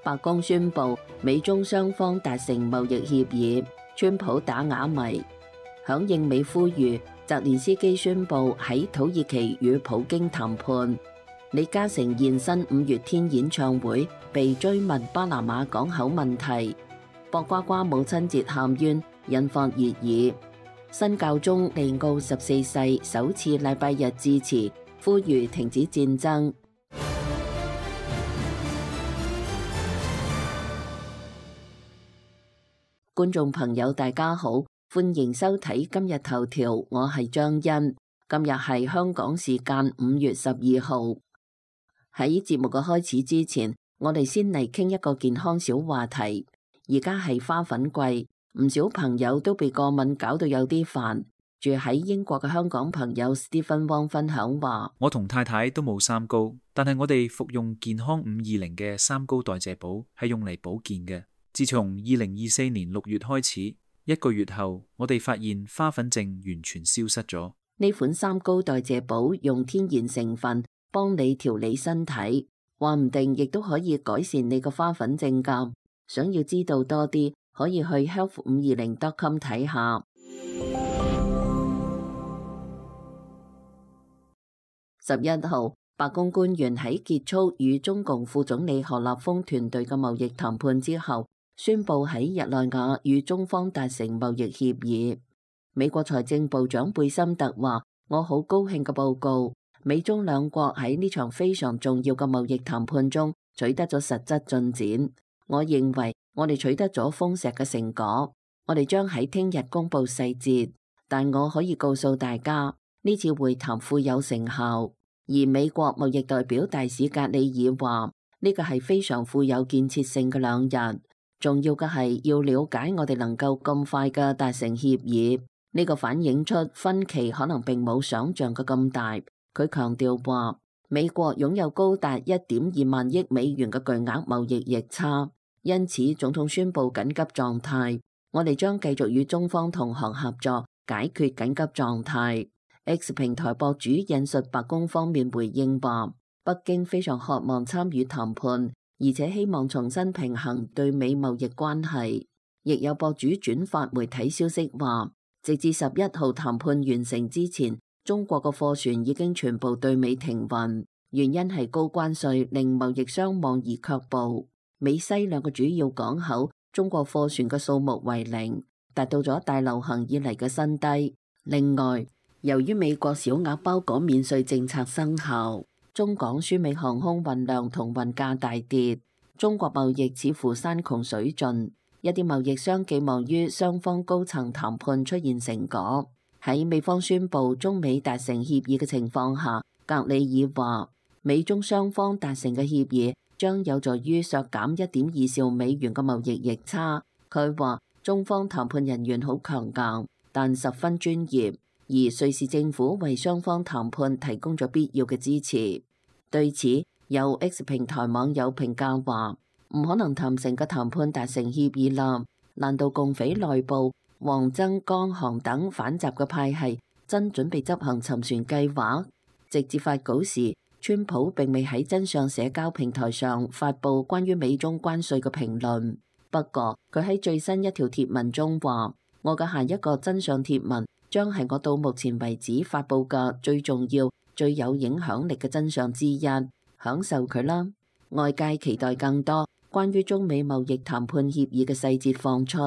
白宮宣布美中雙方達成貿易協議，川普打啞謎。響應美呼籲，澤連斯基宣布喺土耳其與普京談判。李嘉誠現身五月天演唱會，被追問巴拿馬港口問題。博瓜瓜母親節喊冤，引發熱議。新教宗利奧14世首次禮拜日致辭，呼籲停止戰爭。觀眾朋友大家好，歡迎收睇今日頭條，我係張欣。今日係香港時間5月12號。喺節目嘅開始之前，我哋先嚟傾一個健康小話題。而家係花粉季，唔少朋友都被過敏搞到有啲煩。住喺英國嘅香港朋友 Stephen Wong 分享話：我同太太都冇三高，但係我哋服用健康520嘅三高代謝寶係用嚟保健嘅。自從2024年6月開始，1個月後，我哋發現花粉症完全消失咗。呢款三高代謝寶用天然成分幫你調理身體，話唔定亦都可以改善你個花粉症㗎。想要知道多啲，可以去 health520.com 睇下。11號，白宮官員喺結束與中共副總理何立峰團隊嘅貿易談判之後，宣布喺日內瓦與中方達成貿易協議。美國財政部長貝森特話：我好高興嘅報告，美中兩國喺呢場非常重要嘅貿易談判中取得咗實質進展。我認為我哋取得咗豐碩嘅成果，我哋將喺聽日公布細節，但我可以告訴大家，呢次會談富有成效。而美國貿易代表大使格里爾話：呢個係非常富有建設性嘅兩日。重要嘅係要了解我哋能夠咁快嘅達成協議，呢個反映出分歧可能並冇想象嘅咁大。佢強調話，美國擁有高達1.2萬億美元嘅巨額貿易逆差，因此總統宣布緊急狀態。我哋將繼續與中方同行合作，解決緊急狀態。X 平台博主引述白宮方面回應話，北京非常渴望參與談判，而且希望重新平衡對美貿易關係。亦有博主轉發媒體消息話，直至11號談判完成之前，中國嘅貨船已經全部對美停運，原因係高關稅令貿易商望而卻步。美西兩個主要港口，中國貨船嘅數目為0，達到咗大流行以嚟嘅新低。另外，由於美國小額包裹免稅政策生效，中港輸美航空運量同運價大跌，中國貿易似乎山窮水盡。一啲貿易商寄望於雙方高層談判出現成果。喺美方宣布中美達成協議嘅情況下，格里爾話：美中雙方達成嘅協議將有助於削減1.2兆美元嘅貿易逆差。佢話中方談判人員好強硬，但十分專業。而瑞士政府為雙方談判提供咗必要嘅支持。對此，有 X 平台網友評價話：唔可能談成嘅談判達成協議啦？難道共匪內部、王增、江航等反習嘅派系真準備執行沉船計劃？直接發稿時，川普並未喺真相社交平台上發布關於美中關稅嘅評論。不過，佢喺最新一條貼文中話：我嘅下一個真相貼文將係我到目前為止發佈嘅最重要、最有影響力嘅真相之一，享受佢啦！外界期待更多關於中美貿易談判協議嘅細節放出，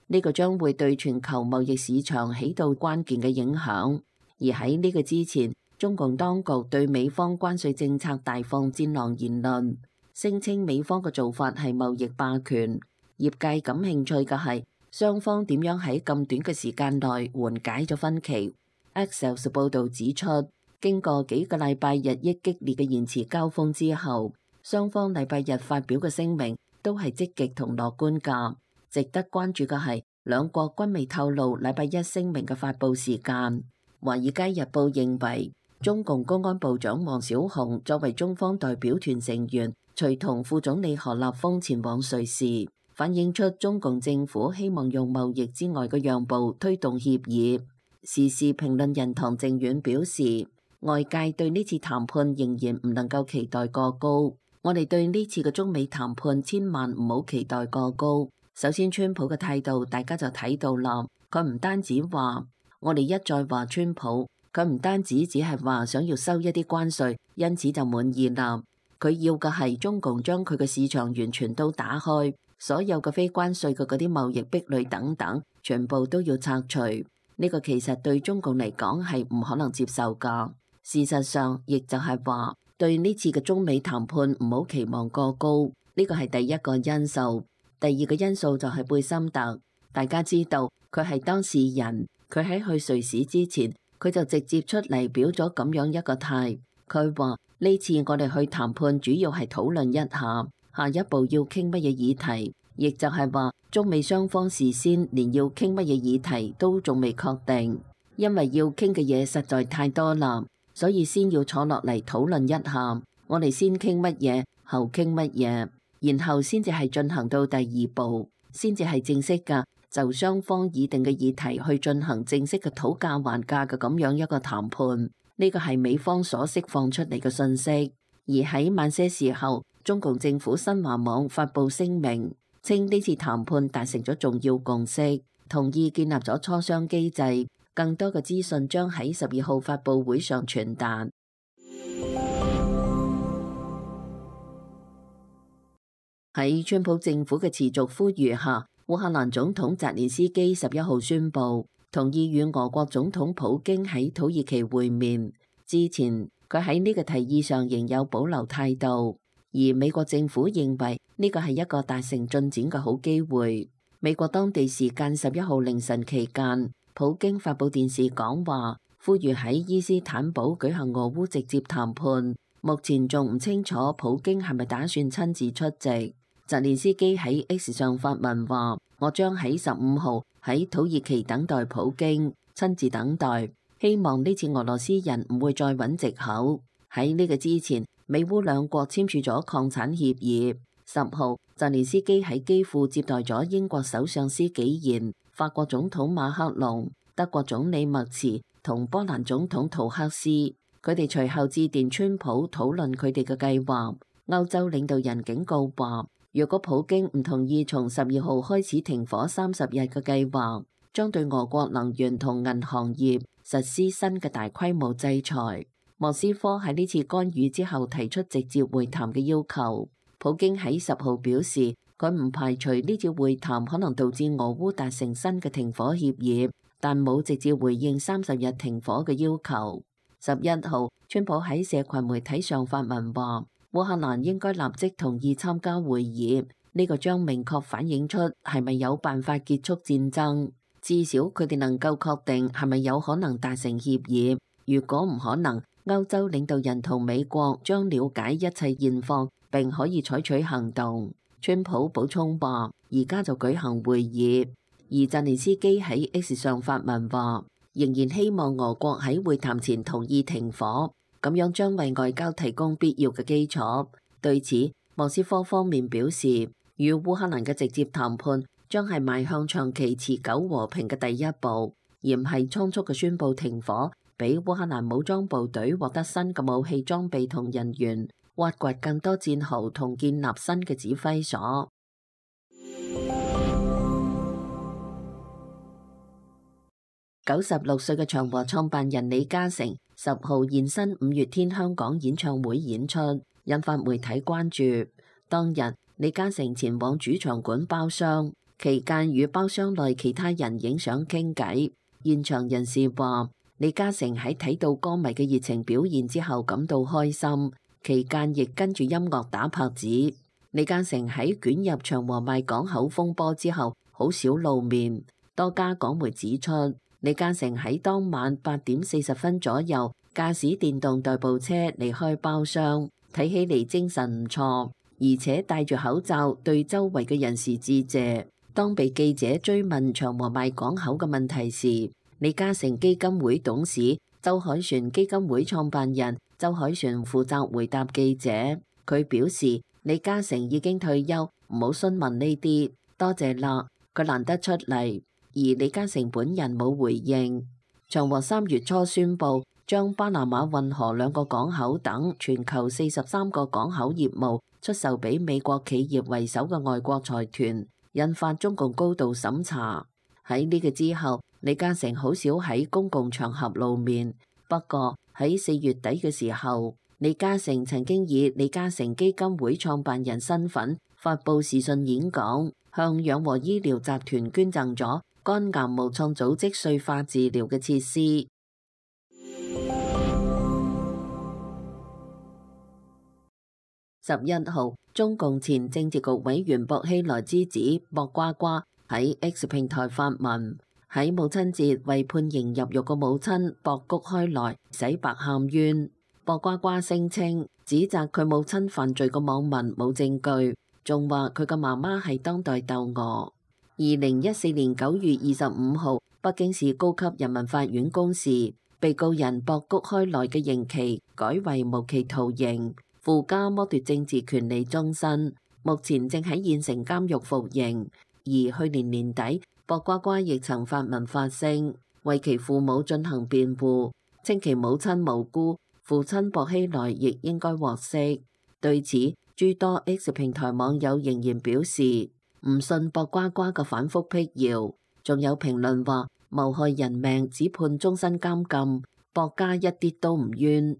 呢個將會對全球貿易市場起到關鍵嘅影響。而喺呢個之前，中共當局對美方關稅政策大放戰狼言論，聲稱美方嘅做法係貿易霸權。業界感興趣嘅係，雙方點樣喺咁短嘅時間內緩解咗分歧。Axios 報導指出，經過幾個禮拜日益激烈嘅言辭交鋒之後，雙方禮拜日發表嘅聲明都係積極同樂觀㗎。值得關注嘅係，兩國均未透露禮拜一聲明嘅發佈時間。華爾街日報認為，中共公安部長王小洪作為中方代表團成員，隨同副總理何立峰前往瑞士，反映出中共政府希望用貿易之外嘅讓步推動協議。時事評論人唐正遠表示，外界對呢次談判仍然唔能夠期待過高，我哋對呢次嘅中美談判千萬唔好期待過高。首先，川普嘅態度大家就睇到啦，佢唔單止話，我哋一再話川普，佢唔單止只係話想要收一啲關稅，因此就滿意啦。佢要嘅係中共將佢嘅市場完全都打開，所有嘅非關稅嘅嗰啲貿易壁壘等等，全部都要拆除。呢個其實對中共嚟講係唔可能接受㗎。事實上，亦就係話對呢次嘅中美談判唔好期望過高，呢個係第一個因素。第二個因素就係貝森特，大家知道佢係當事人，佢喺去瑞士之前，佢就直接出嚟表咗咁樣一個態。佢話呢次我哋去談判主要係討論一下下一步要傾乜嘢議題，亦就係話中美雙方事先連要傾乜嘢議題都仲未確定，因為要傾嘅嘢實在太多啦，所以先要坐落嚟討論一下，我哋先傾乜嘢，後傾乜嘢，然後先至係進行到第二步，先至係正式㗎，就雙方擬定嘅議題去進行正式嘅討價還價嘅咁樣一個談判。呢個係美方所釋放出嚟嘅信息。而喺晚些時候，中共政府新華網發布聲明，稱呢次談判達成咗重要共識，同意建立咗磋商機制，更多嘅資訊將喺12號發佈會上傳達。喺川普政府嘅持續呼籲下，烏克蘭總統澤連斯基11號宣布同意與俄國總統普京喺土耳其會面。之前佢喺呢個提議上仍有保留態度，而美國政府認為呢個係一個達成進展嘅好機會。美國當地時間11號凌晨期間，普京發布電視講話，呼籲喺伊斯坦堡舉行俄烏直接談判。目前仲唔清楚普京係咪打算親自出席。澤連斯基喺 X 上發文話：我將喺15號喺土耳其等待普京，親自等待，希望呢次俄羅斯人唔會再揾藉口。喺呢個之前，美烏兩國簽署咗礦產協議。10號，澤連斯基喺基輔接待咗英國首相施紀賢、法國總統馬克龍、德國總理默茨同波蘭總統圖克斯。佢哋隨後致電川普討論佢哋嘅計劃。歐洲領導人警告話，若果普京唔同意從12號開始停火30日嘅計劃，將對俄國能源同銀行業實施新嘅大規模制裁。莫斯科喺呢次干預之後提出直接會談嘅要求。普京喺10號表示，佢唔排除呢次會談可能導致俄烏達成新嘅停火協議，但冇直接回應30日停火嘅要求。11號，川普喺社群媒體上發文話，烏克蘭應該立即同意參加會議，呢個將明確反映出係咪有辦法結束戰爭，至少佢哋能夠確定係咪有可能達成協議。如果唔可能，歐洲領導人同美國將了解一切現況，並可以採取行動。川普補充話，而家就舉行會議。而澤連斯基喺 X 上發文話，仍然希望俄國喺會談前同意停火。咁樣將為外交提供必要嘅基礎。對此，莫斯科方面表示，與烏克蘭嘅直接談判將係邁向長期持久和平嘅第一步，而唔係倉促嘅宣布停火，俾烏克蘭武裝部隊獲得新嘅武器裝備同人員，挖掘更多戰壕同建立新嘅指揮所。96歲嘅長和創辦人李嘉誠10號現身五月天香港演唱會演出，引發媒體關注。當日，李嘉誠前往主場館包廂，期間與包廂內其他人影相傾偈。現場人士話，李嘉誠喺睇到歌迷嘅熱情表現之後感到開心，期間亦跟住音樂打拍子。李嘉誠喺捲入長和賣港口風波之後，好少露面。多家港媒指出，李嘉誠喺當晚8點40分左右駕駛電動代步車離開包廂，睇起嚟精神唔錯，而且戴住口罩對周圍嘅人士致謝。當被記者追問長和賣港口嘅問題時，李嘉誠基金會董事周凱旋基金會創辦人周凱旋負責回答記者。佢表示，李嘉誠已經退休，唔好詢問呢啲，多謝啦，佢難得出嚟。而李嘉誠本人冇回應。長和3月初宣布將巴拿馬運河2個港口等全球43個港口業務出售俾美國企業為首嘅外國財團，引發中共高度審查。喺呢個之後，李嘉誠好少喺公共場合露面。不過喺4月底嘅時候，李嘉誠曾經以李嘉誠基金會創辦人身份發佈視訊演講，向養和醫療集團捐贈咗肝癌無創組織碎化治療嘅設施。11號，中共前政治局委員薄熙來之子薄瓜瓜喺 X 平台發文，喺母親節為判刑入獄嘅母親薄谷開來洗白喊冤。薄瓜瓜聲稱指責佢母親犯罪嘅網民冇證據，仲話佢嘅媽媽係當代竇娥。2014年9月25號，北京市高級人民法院公示，被告人薄谷開來嘅刑期改為無期徒刑，附加剝奪政治權利終身，目前正喺縣城監獄服刑。而去年年底，薄瓜瓜亦曾發文發聲，為其父母進行辯護，稱其母親無辜，父親薄熙來亦應該獲釋。對此，諸多 X 平台網友仍然表示唔信薄瓜瓜嘅反覆闢謠，仲有評論話謀害人命只判終身監禁，薄家一啲都唔冤。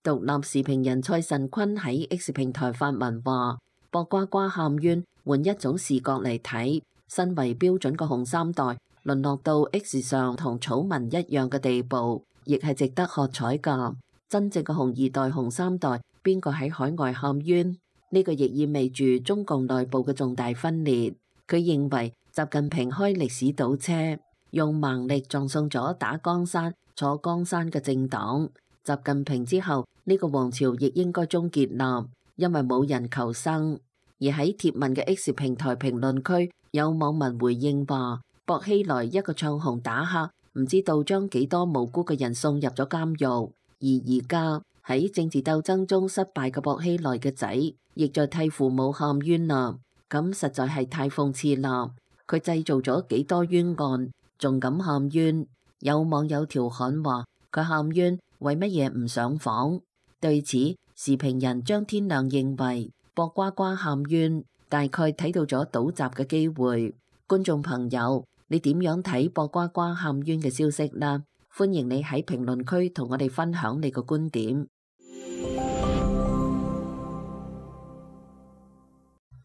獨立時評人蔡慎坤喺 X 平台發文話：薄瓜瓜喊冤，換一種視角嚟睇，身為標準嘅紅三代，淪落到 X 上同草民一樣嘅地步，亦係值得喝彩㗎。真正嘅紅二代、紅三代，邊個喺海外喊冤？呢個亦意味住中共內部嘅重大分裂。佢認為習近平開歷史倒車，用盲力撞送咗打江山、坐江山嘅政黨。習近平之後，呢個王朝亦應該終結啦，因為冇人求生。而喺貼文嘅 X 平台評論區，有網民回應話：薄熙來一個唱紅打黑，唔知道將幾多無辜嘅人送入咗監獄。而而家喺政治鬥爭中失敗嘅薄熙來嘅仔，亦在替父母喊冤啦。咁實在係太諷刺啦！佢製造咗幾多冤案，仲敢喊冤？有網友調侃話：佢喊冤，為乜嘢唔上訪？對此，時評人張天亮認為，薄瓜瓜喊冤，大概睇到咗倒閘嘅機會。觀眾朋友，你點樣睇薄瓜瓜喊冤嘅消息呢？歡迎你喺評論區同我哋分享你嘅觀點。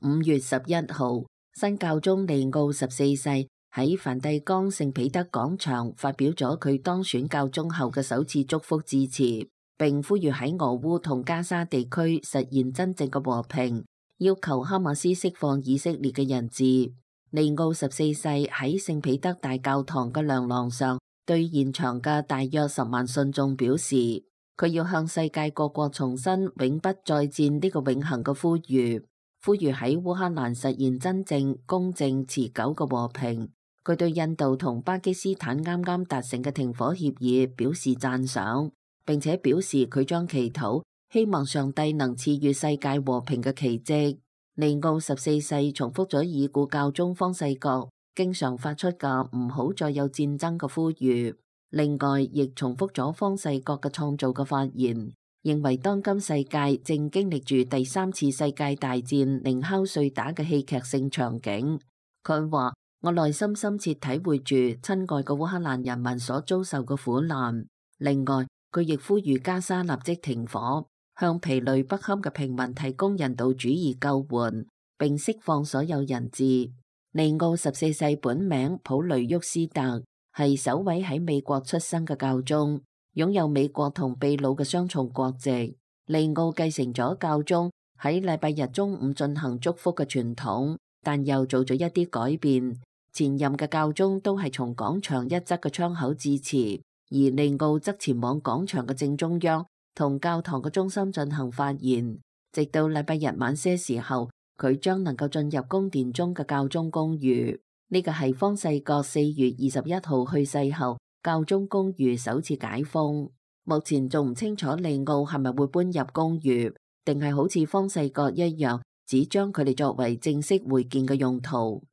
5月11號，新教宗利奧14世喺梵蒂岡聖彼得廣場發表咗佢當選教宗後嘅首次祝福致辭，並呼籲喺俄烏同加沙地區實現真正嘅和平，要求哈馬斯釋放以色列嘅人質。利奧14世喺聖彼得大教堂嘅亮廊上，對現場嘅大約10萬信眾表示，佢要向世界各國重申永不再戰呢個永恆嘅呼籲，呼籲喺烏克蘭實現真正、公正、持久嘅和平。佢對印度同巴基斯坦啱啱達成嘅停火協議表示讚賞，並且表示佢將祈禱，希望上帝能賜予世界和平嘅奇蹟。利奧14世重複咗已故教宗方濟各經常發出嘅唔好再有戰爭嘅呼籲，另外亦重複咗方濟各嘅創造嘅發言，認為當今世界正經歷住第3次世界大戰寧敲碎打嘅戲劇性場景。佢話：我內心深切體會住親愛嘅烏克蘭人民所遭受嘅苦難。另外，佢亦呼籲加沙立即停火，向疲累不堪嘅平民提供人道主義救援，並釋放所有人質。利奧14世本名普雷沃斯特，係首位喺美國出生嘅教宗，擁有美國同秘魯嘅雙重國籍。利奧繼承咗教宗喺禮拜日中午進行祝福嘅傳統，但又做咗一啲改變。前任嘅教宗都係從廣場一側嘅窗口致辭，而利奧則前往廣場嘅正中央，同教堂嘅中心進行發言。直到禮拜日晚些時候，佢將能夠進入宮殿中嘅教宗公寓。呢個係方濟各4月21號去世後，教宗公寓首次解封。目前仲唔清楚利奧係咪會搬入公寓，定係好似方濟各一樣，只將佢哋作為正式會見嘅用途。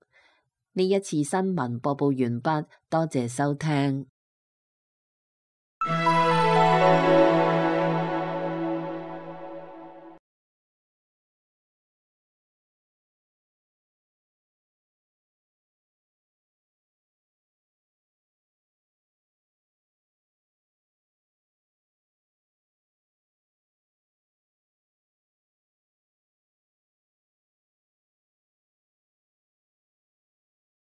呢一次新聞播報完畢，多謝收聽。